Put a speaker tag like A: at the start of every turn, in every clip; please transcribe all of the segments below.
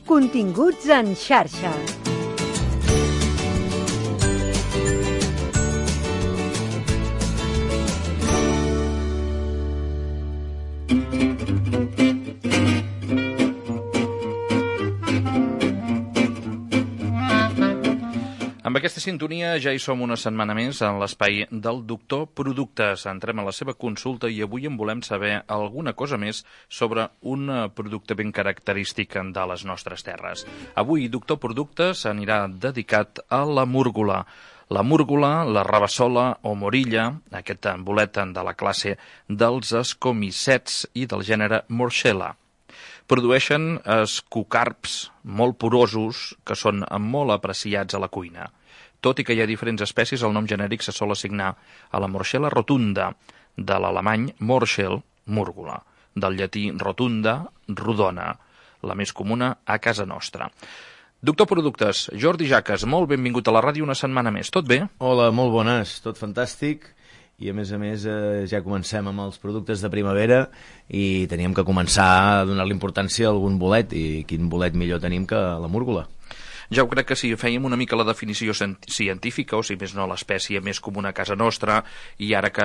A: Continguts en xarxa.
B: Amb aquesta sintonia ja hi som una setmana més en l'espai del Doctor Productes. Entrem a la seva consulta i avui en volem saber alguna cosa més sobre un producte ben característic de les nostres terres. Avui Doctor Productes anirà dedicat a la múrgola. La múrgola, la rabassola o morilla, aquest bolet de la classe dels escomicets i del gènere Morchella. Produeixen escocarps molt porosos que són molt apreciats a la cuina. Tot i que hi ha diferents espècies, el nom genèric se sol assignar a la Morchella rotunda, de l'alemany Morchel, múrgola, del llatí rotunda, rodona, la més comuna a casa nostra. Doctor Productes, Jordi Jaques, molt benvingut a la ràdio una setmana més. Tot bé?
C: Hola, molt bones, tot fantàstic. I a més ja comencem amb els productes de primavera i teníem que començar a donar-li importància a algun bolet, i quin bolet millor tenim que la múrgola.
B: Ja ho crec que si fèiem una mica la definició científica, o si més no l'espècie més comuna a casa nostra, i ara que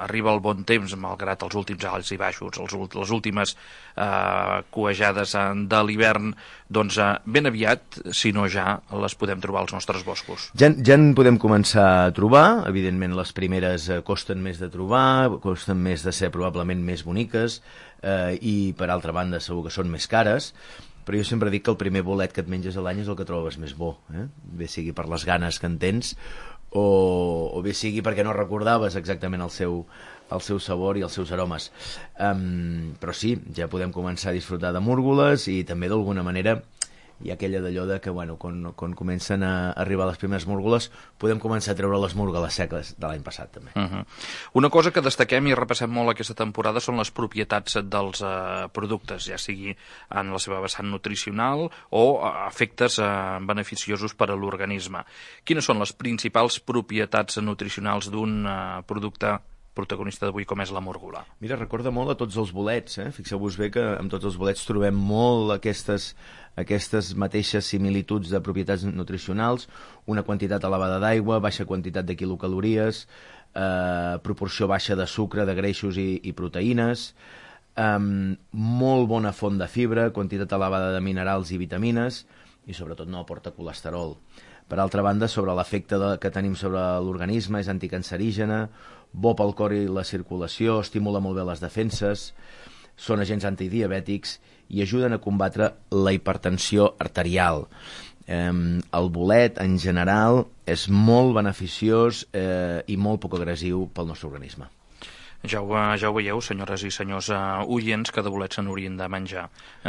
B: arriba el bon temps, malgrat els últims alts i baixos, les últimes cuejades de l'hivern, doncs ben aviat, si no ja, les podem trobar als nostres boscos.
C: Ja en podem començar a trobar, evidentment les primeres costen més de trobar, costen més de ser probablement més boniques, i per altra banda segur que són més cares, però jo sempre dic que el primer bolet que et menges a l'any és el que trobes més bo, bé sigui per les ganes que en tens o bé sigui perquè no recordaves exactament el seu sabor i els seus aromes. Però sí, ja podem començar a disfrutar de múrgoles i també d'alguna manera hi ha aquella d'allò de que quan comencen a arribar les primeres múrgoles podem començar a treure les múrgoles seques de l'any passat també.
B: Una cosa que destaquem i repassem molt aquesta temporada són les propietats dels productes, ja sigui en la seva vessant nutricional o efectes beneficiosos per a l'organisme. Quines són les principals propietats nutricionals d'un producte protagonista d'avui com és la múrgola?
C: Mira, recorda molt a tots els bolets, Fixeu-vos bé que amb tots els bolets trobem molt aquestes mateixes similituds de propietats nutricionals, una quantitat elevada d'aigua, baixa quantitat de quilocalories, proporció baixa de sucre, de greixos i proteïnes, molt bona font de fibra, quantitat elevada de minerals i vitamines i sobretot no aporta colesterol. Per altra banda, sobre l'efecte que tenim sobre l'organisme, és anticancerígena, bo pel cor i la circulació, estimula molt bé les defenses, són agents antidiabètics i ajuden a combatre la hipertensió arterial. El bolet, en general, és molt beneficiós i molt poc agressiu pel nostre organisme.
B: Ja ho veieu, senyores i senyors oients, que de bolets se n'haurien de menjar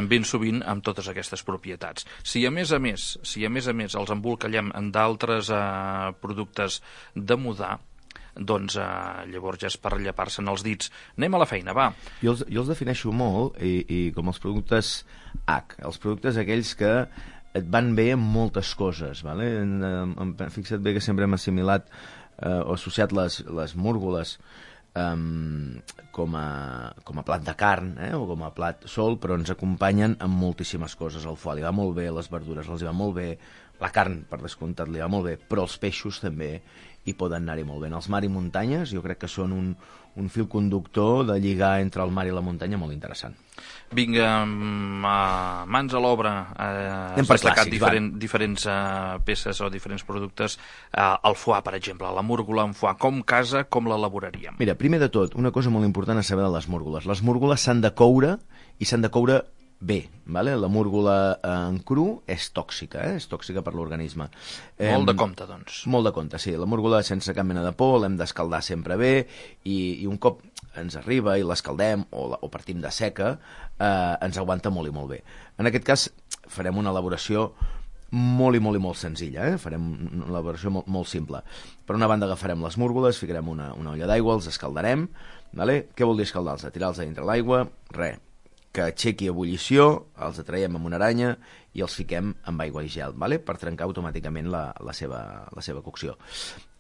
B: ben sovint amb totes aquestes propietats. Si a més a més els embolcallem en d'altres productes de mudar, doncs llavors ja és per llepar-se'n els dits. Anem a la feina, va.
C: Jo els defineixo molt i com els productes H, els productes aquells que et van bé en moltes coses, vale? Fixa't bé que sempre hem assimilat o associat les múrgoles com a plat de carn o com a plat sol, però ens acompanyen amb moltíssimes coses. El foie li va molt bé, les verdures els va molt bé, la carn, per descomptat, li va molt bé, però els peixos també hi poden anar-hi molt bé. Els mar i muntanyes jo crec que són un fil conductor de lligar entre el mar i la muntanya molt interessant.
B: Vinga, mans a l'obra. Has destacat diferents peces o diferents productes. El foie, per exemple, la múrgola en foie, com casa, com l'elaboraríem?
C: Mira, primer de tot, una cosa molt important a saber de les múrgoles. Les múrgoles s'han de coure i s'han de coure bé, vale? La múrgola en cru és tòxica, és tòxica per l'organisme.
B: Molt de compte, doncs.
C: Molt de compte, sí. La múrgola sense cap mena de por, l'hem d'escaldar sempre bé i un cop ens arriba i l'escaldem o partim de seca, ens aguanta molt i molt bé. En aquest cas farem una elaboració molt i molt senzilla, farem una elaboració molt simple. Per una banda agafarem les múrgoles, ficarem una olla d'aigua, els escaldarem, vale? Què vol dir escaldar-los? Tirar-los a dintre l'aigua, res, que aixequi ebullició, els atraiem amb una aranya i els fiquem amb aigua i gel, vale? Per trencar automàticament la seva cocció.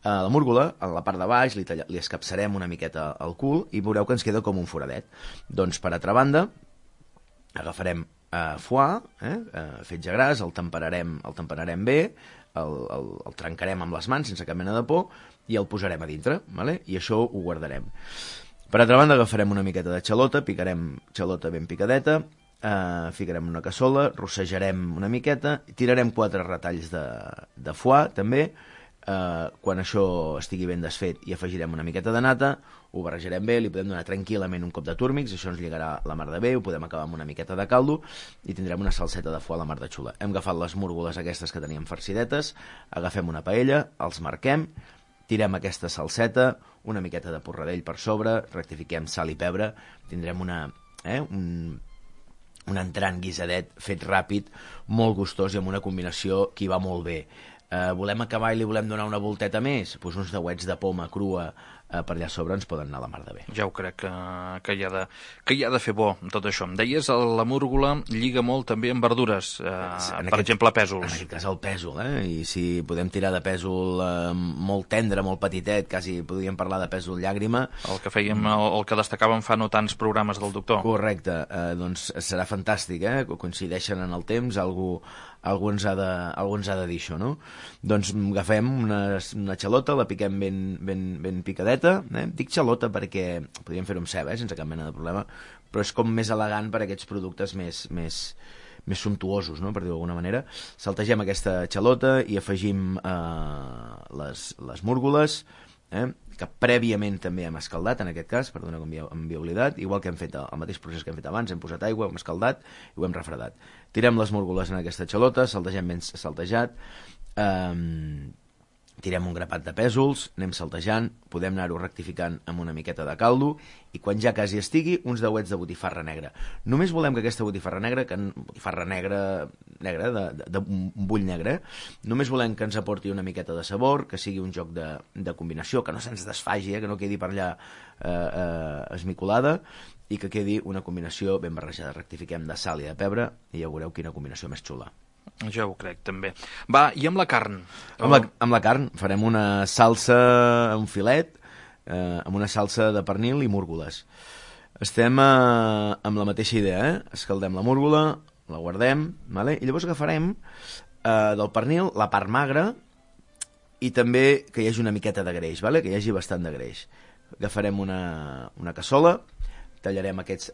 C: La múrgola, a la part de baix, li escapçarem una miqueta al cul i veureu que ens queda com un foradet. Doncs, per altra banda, agafarem foie, fetge gras, el temperarem bé, el trencarem amb les mans sense cap mena de por i el posarem a dintre, vale? I això ho guardarem. Per altra banda, agafarem una miqueta de xalota, picarem xalota ben picadeta, ficarem una cassola, rossejarem una miqueta, tirarem 4 retalls de foie també. Quan això estigui ben desfet hi afegirem una miqueta de nata, ho barrejarem bé, li podem donar tranquil·lament un cop de túrmix, això ens lligarà la mar de bé, ho podem acabar amb una miqueta de caldo i tindrem una salseta de foie a la mar de xula. Hem agafat les múrgoles aquestes que teníem farcidetes, agafem una paella, els marquem, tirem aquesta salseta, una miqueta de porradell per sobre, rectifiquem sal i pebre, tindrem un entrant guisadet fet ràpid, molt gustós i amb una combinació que hi va molt bé. Volem acabar i li volem donar una volteta més? Doncs uns dauets de poma crua per allà sobre ens poden anar a la mar de bé.
B: Ja ho crec que hi ha de fer bo tot això. Em deies, la múrgola lliga molt també amb verdures, per exemple, pèsols.
C: En aquest cas el pèsol, i si podem tirar de pèsol molt tendre, molt petitet, quasi podríem parlar de pèsol llàgrima.
B: El que fèiem, el que destacàvem fa no tants programes del doctor.
C: Correcte, doncs serà fantàstic, coincideixen en el temps, algú ens ha de dir això, no? Doncs agafem una xalota, la piquem ben picadeta, dic xalota perquè podríem fer-ho amb ceba, sense cap mena de problema, però és com més elegant per a aquests productes més sumptuosos, no? Per dir-ho d'alguna manera. Saltegem aquesta xalota i afegim les múrgoles, que prèviament també hem escaldat, en aquest cas, perdona que m'havia oblidat, igual que hem fet el mateix procés que hem fet abans, hem posat aigua, hem escaldat i ho hem refredat. Tirem les múrgoles en aquesta xalota, saltegem ben saltejat, tirem un grapat de pèsols, anem saltejant, podem anar-ho rectificant amb una miqueta de caldo i quan ja quasi estigui, uns dauets de botifarra negra. Només volem que aquesta botifarra negra, d'un bull negre, només volem que ens aporti una miqueta de sabor, que sigui un joc de combinació, que no se'ns desfagi, que no quedi per allà esmicolada i que quedi una combinació ben barrejada. Rectifiquem de sal i de pebre i ja veureu quina combinació més xula.
B: Ja ho crec, també. Va, i amb la carn?
C: Amb la carn farem una salsa, un filet, amb una salsa de pernil i múrgoles. Estem amb la mateixa idea, escaldem la múrgola, la guardem, vale? I llavors agafarem del pernil la part magra i també que hi hagi una miqueta de greix, vale? Que hi hagi bastant de greix. Agafarem una cassola, tallarem aquest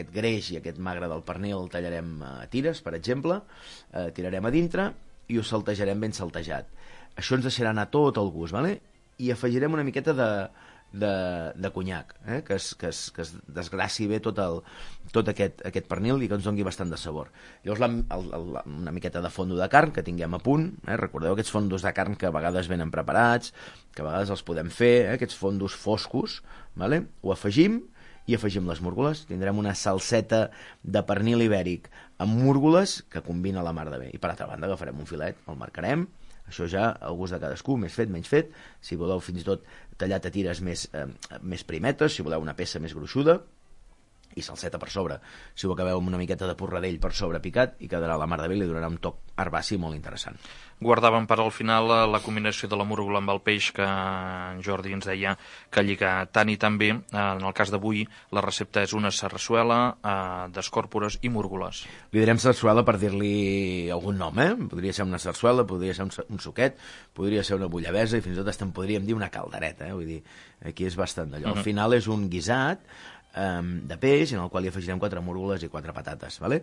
C: greix i aquest magre del pernil, el tallarem a tires, per exemple, tirarem a dintre i ho saltejarem ben saltejat. Això ens deixarà anar tot el gust, vale? I afegirem una miqueta de conyac, que es desgraci bé tot aquest pernil i que ens doni bastant de sabor. Llavors una miqueta de fondo de carn que tinguem a punt, recordeu aquests fondos de carn que a vegades venen preparats, que a vegades els podem fer, aquests fondos foscos, vale? Ho afegim i afegim les múrgoles. Tindrem una salseta de pernil ibèric amb múrgoles que combina la mar de bé. I per altra banda agafarem un filet, el marcarem, això ja al gust de cadascú, més fet, menys fet, si voleu fins i tot tallat a tires més primetes, si voleu una peça més gruixuda, i salseta per sobre. Si ho acabeu amb una miqueta de porradell per sobre picat i quedarà la mar de bé, li donarà un toc herbaci molt interessant.
B: Guardàvem per al final la combinació de la múrgola amb el peix que en Jordi ens deia que lliga tant i tan bé. En el cas d'avui la recepta és una sarsuela d'escòrpores i múrgoles.
C: Li direm sarsuela per dir-li algun nom, Podria ser una sarsuela, podria ser un suquet, podria ser una bullabesa i fins i tot podríem dir una caldereta, Vull dir, aquí és bastant d'allò. Al final és un guisat de peix en el qual hi afegirem 4 múrgoles i 4 patates, vale?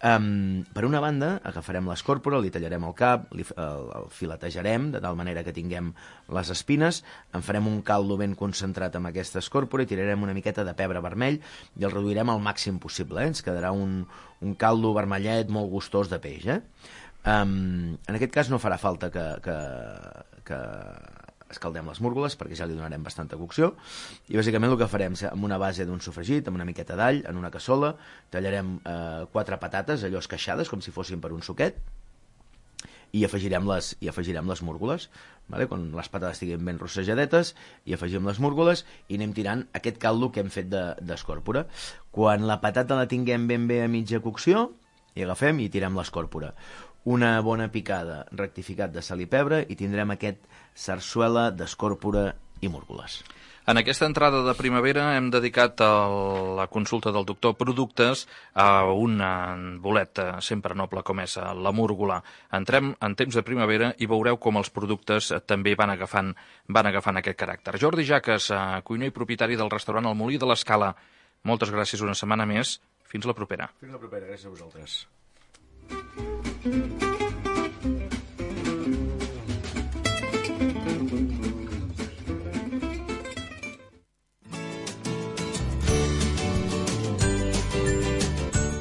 C: Per una banda agafarem l'escòrpora, li tallarem el cap, el filetejarem de tal manera que tinguem les espines, en farem un caldo ben concentrat amb aquesta escòrpora i tirarem una miqueta de pebre vermell i el reduirem al màxim possible, ens quedarà un caldo vermellet molt gustós de peix. En aquest cas no farà falta que escaldem les múrgoles perquè ja li donarem bastanta cocció i bàsicament el que farem amb una base d'un sofregit, amb una miqueta d'all en una cassola, tallarem 4 patates allò esqueixades com si fossin per un suquet i afegirem les múrgoles, vale? Quan les patates estiguin ben rossejadetes i afegim les múrgoles i anem tirant aquest caldo que hem fet d'escòrpora. Quan la patata la tinguem ben bé a mitja cocció i agafem i tirem l'escòrpora, una bona picada, rectificat de sal i pebre i tindrem aquest sarsuela d'escòrpora i múrgoles.
B: En aquesta entrada de primavera hem dedicat la consulta del doctor Productes a un bolet sempre noble com és la múrgola. Entrem en temps de primavera i veureu com els productes també van agafant aquest caràcter. Jordi Jaques, cuiner i propietari del restaurant El Molí de l'Escala, moltes gràcies una setmana més. Fins la propera.
C: Fins la propera, gràcies a vosaltres.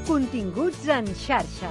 A: Continguts en xarxa.